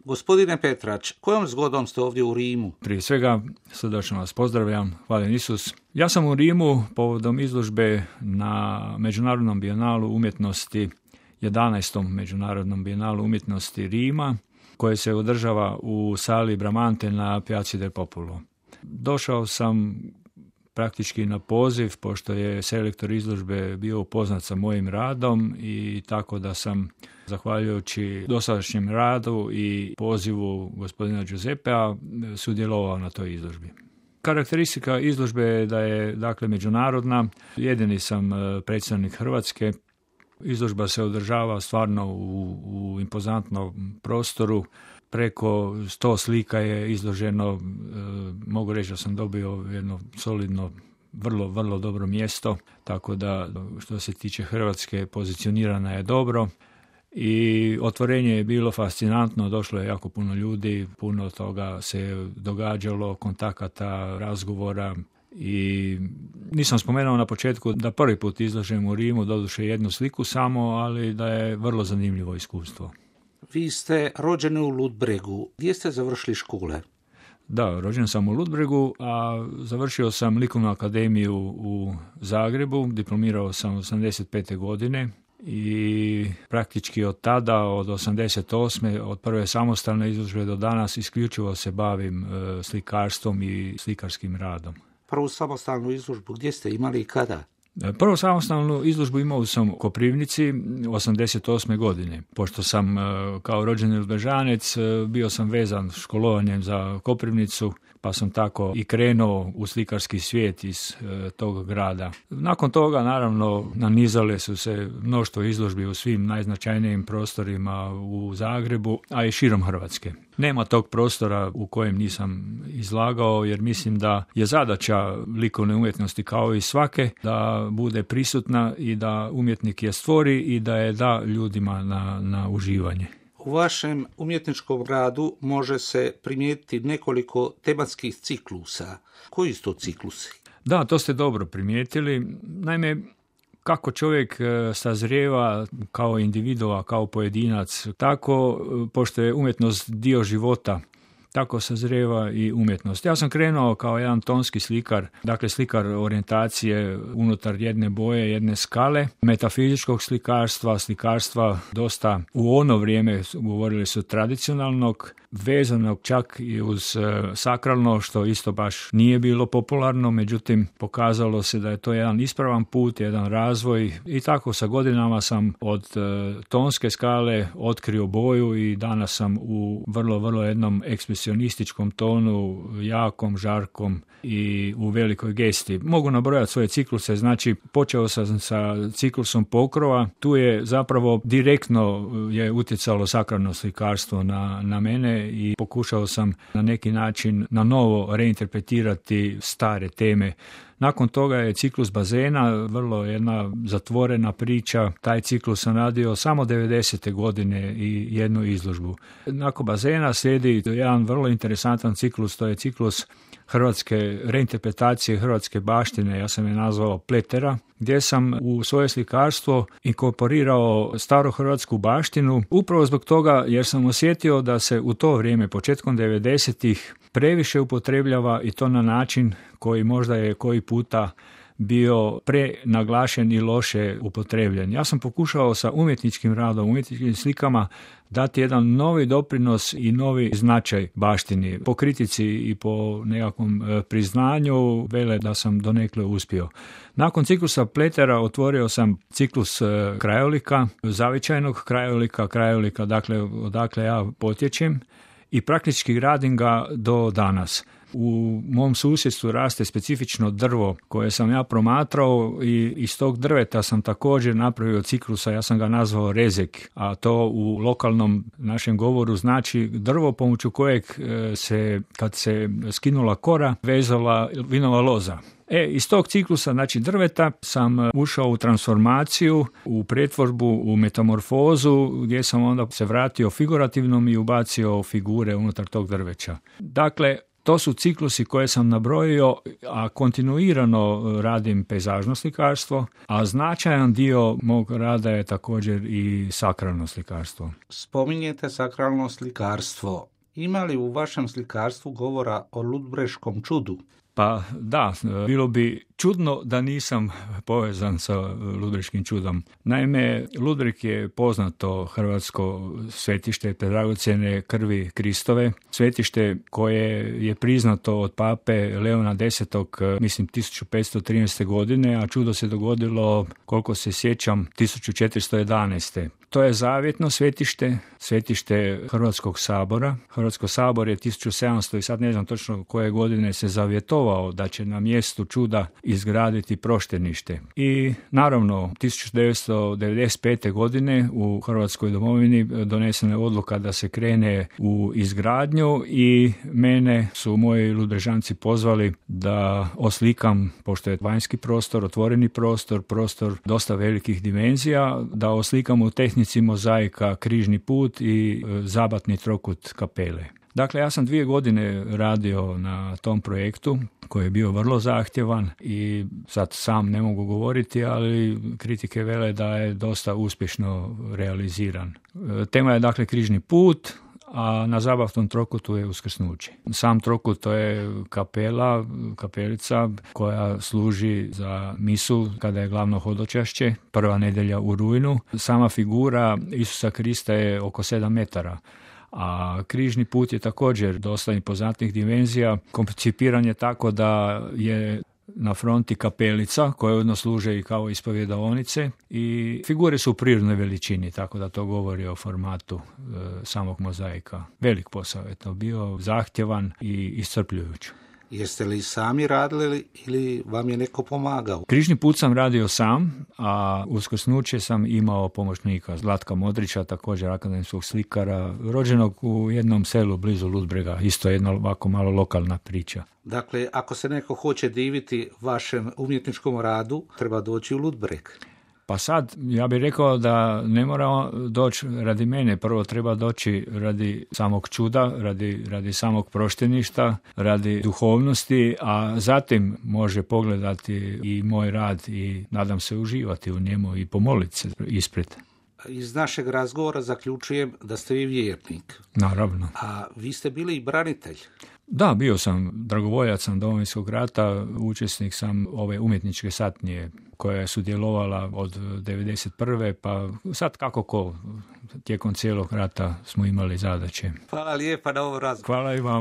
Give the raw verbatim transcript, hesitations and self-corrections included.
Gospodine Petrač, kojom zgodom ste ovdje u Rimu? Prije svega, srdačno vas pozdravljam, hvala Isus. Ja sam u Rimu povodom izložbe na Međunarodnom bijenalu umjetnosti, jedanaestom Međunarodnom bijenalu umjetnosti Rima, koje se održava u sali Bramante na Piazzi del Popolo. Došao sam praktički na poziv, pošto je selektor izložbe bio upoznat sa mojim radom i tako da sam, zahvaljujući dosadašnjem radu i pozivu gospodina Giuseppea, sudjelovao na toj izložbi. Karakteristika izložbe je da je dakle međunarodna. Jedini sam predstavnik Hrvatske. Izložba se održava stvarno u, u impozantnom prostoru. Preko sto slika je izloženo, e, mogu reći da sam dobio jedno solidno, vrlo, vrlo dobro mjesto, tako da što se tiče Hrvatske pozicionirana je dobro i otvorenje je bilo fascinantno, došlo je jako puno ljudi, puno toga se događalo, kontakata, razgovora. I nisam spomenuo na početku da prvi put izlažem u Rimu, doduše jednu sliku samo, ali da je vrlo zanimljivo iskustvo. Vi ste rođeni u Ludbregu. Gdje ste završili škole? Da, rođen sam u Ludbregu, a završio sam likovnu akademiju u Zagrebu, diplomirao sam osamdeset pete godine i praktički od tada, od osamdeset osme od prve samostalne izložbe do danas, isključivo se bavim e, slikarstvom i slikarskim radom. Prvu samostalnu izložbu gdje ste imali i kada? Prvu samostalnu izložbu imao sam u Koprivnici osamdeset osme godine. Pošto sam kao rođeni Ludbrešanac bio sam vezan školovanjem za Koprivnicu, pa sam tako i krenuo u slikarski svijet iz e, tog grada. Nakon toga, naravno, nanizale su se mnoštvo izložbi u svim najznačajnijim prostorima u Zagrebu, a i širom Hrvatske. Nema tog prostora u kojem nisam izlagao, jer mislim da je zadaća likovne umjetnosti kao i svake da bude prisutna i da umjetnik je stvori i da je da ljudima na, na uživanje. U vašem umjetničkom radu može se primijetiti nekoliko tematskih ciklusa. Koji su to ciklusi? Da, to ste dobro primijetili. Naime, kako čovjek sazrijeva kao individua, kao pojedinac, tako, pošto je umjetnost dio života, tako sazrijeva i umjetnost. Ja sam krenuo kao jedan tonski slikar, dakle slikar orijentacije unutar jedne boje, jedne skale, metafizičkog slikarstva, slikarstva dosta u ono vrijeme, govorili su tradicionalnog, vezanog čak i uz e, sakralno, što isto baš nije bilo popularno, međutim pokazalo se da je to jedan ispravan put, jedan razvoj i tako sa godinama sam od e, tonske skale otkrio boju i danas sam u vrlo, vrlo jednom ekspresionističkom tonu, jakom, žarkom i u velikoj gesti. Mogu nabrojati svoje cikluse, znači počeo sam sa ciklusom pokrova, tu je zapravo direktno je utjecalo sakralno slikarstvo na, na mene i pokušao sam na neki način na novo reinterpretirati stare teme. Nakon toga je ciklus bazena, vrlo jedna zatvorena priča. Taj ciklus sam radio samo devedesete godine i jednu izložbu. Nakon bazena slijedi jedan vrlo interesantan ciklus, to je ciklus hrvatske reinterpretacije hrvatske baštine, ja sam je nazvao Pletera, gdje sam u svoje slikarstvo inkorporirao starohrvatsku baštinu, upravo zbog toga jer sam osjetio da se u to vrijeme, početkom devedesetih, previše upotrebljava i to na način koji možda je koji puta bio prenaglašen i loše upotrebljen. Ja sam pokušao sa umjetničkim radom, umjetničkim slikama dati jedan novi doprinos i novi značaj baštini. Po kritici i po nekakvom priznanju vele da sam donekle uspio. Nakon ciklusa Pletera otvorio sam ciklus krajolika, zavičajnog krajolika, krajolika dakle odakle ja potječem i praktički radim ga do danas. U mom susjedstvu raste specifično drvo koje sam ja promatrao i iz tog drveta sam također napravio ciklusa, ja sam ga nazvao rezek, a to u lokalnom našem govoru znači drvo pomoću kojeg se, kad se skinula kora, vezala vinova loza. E, iz tog ciklusa, znači drveta, sam ušao u transformaciju, u pretvorbu, u metamorfozu, gdje sam onda se vratio figurativnom i ubacio figure unutar tog drveća. Dakle, To su ciklusi koje sam nabrojio, a kontinuirano radim pejzažno slikarstvo, a značajan dio mog rada je također i sakralno slikarstvo. Spominjete sakralno slikarstvo. Ima li u vašem slikarstvu govora o ludbreškom čudu? Pa da, bilo bi čudno da nisam povezan sa ludbreškim čudom. Naime, Ludbreg je poznato hrvatsko svetište dragocjene krvi Kristove, svetište koje je priznato od pape Leona desetog, mislim, tisuću petsto trinaeste. godine, a čudo se dogodilo, koliko se sjećam, tisuću četiristo jedanaeste. To je zavjetno svetište, svetište Hrvatskog sabora. Hrvatsko sabor je tisuću sedamsto i sad ne znam točno koje godine se zavjetovao da će na mjestu čuda izgraditi proštenište. I naravno, tisuću devetsto devedeset pete. godine u Hrvatskoj domovini donesena je odluka da se krene u izgradnju i mene su moji Ludbrežanci pozvali da oslikam, pošto je vanjski prostor, otvoreni prostor, prostor dosta velikih dimenzija, da oslikam u tehnici mozaika križni put i zabatni trokut kapele. Dakle, ja sam dvije godine radio na tom projektu koji je bio vrlo zahtjevan i sad sam ne mogu govoriti, ali kritike vele da je dosta uspješno realiziran. Tema je dakle križni put, a na zabavnom trokutu je uskrsnuće. Sam trokut to je kapela, kapelica koja služi za misu kada je glavno hodočašće, prva nedjelja u rujnu. Sama figura Isusa Krista je oko sedam metara. A križni put je također dosta impoznatnih dimenzija. Koncipiran je tako da je na fronti kapelica koja ujedno služe i kao ispovjedaonice i figure su u prirodnoj veličini, tako da to govori o formatu e, samog mozaika. Velik posao je to bio, zahtjevan i iscrpljujuć. Jeste li sami radili ili vam je neko pomagao? Križni put sam radio sam, a uskrsnuće sam imao pomoćnika Zlatka Modrića, također akademskog slikara, rođenog u jednom selu blizu Ludbrega, isto jedna ovako malo lokalna priča. Dakle, ako se neko hoće diviti vašem umjetničkom radu, treba doći u Ludbreg. Pa sad, ja bih rekao da ne mora doći radi mene, prvo treba doći radi samog čuda, radi, radi samog prošteništa, radi duhovnosti, a zatim može pogledati i moj rad i nadam se uživati u njemu i pomoliti se ispred. Iz našeg razgovora zaključujem da ste vi vjernik. Naravno. A vi ste bili i branitelj. Da, bio sam dragovoljac sam Domovinskog rata, učesnik sam ove umjetničke satnije koja je sudjelovala od devedeset prve pa sad kako ko, tijekom cijelog rata smo imali zadaće. Hvala lijepa na ovom razgovoru. Hvala i vama.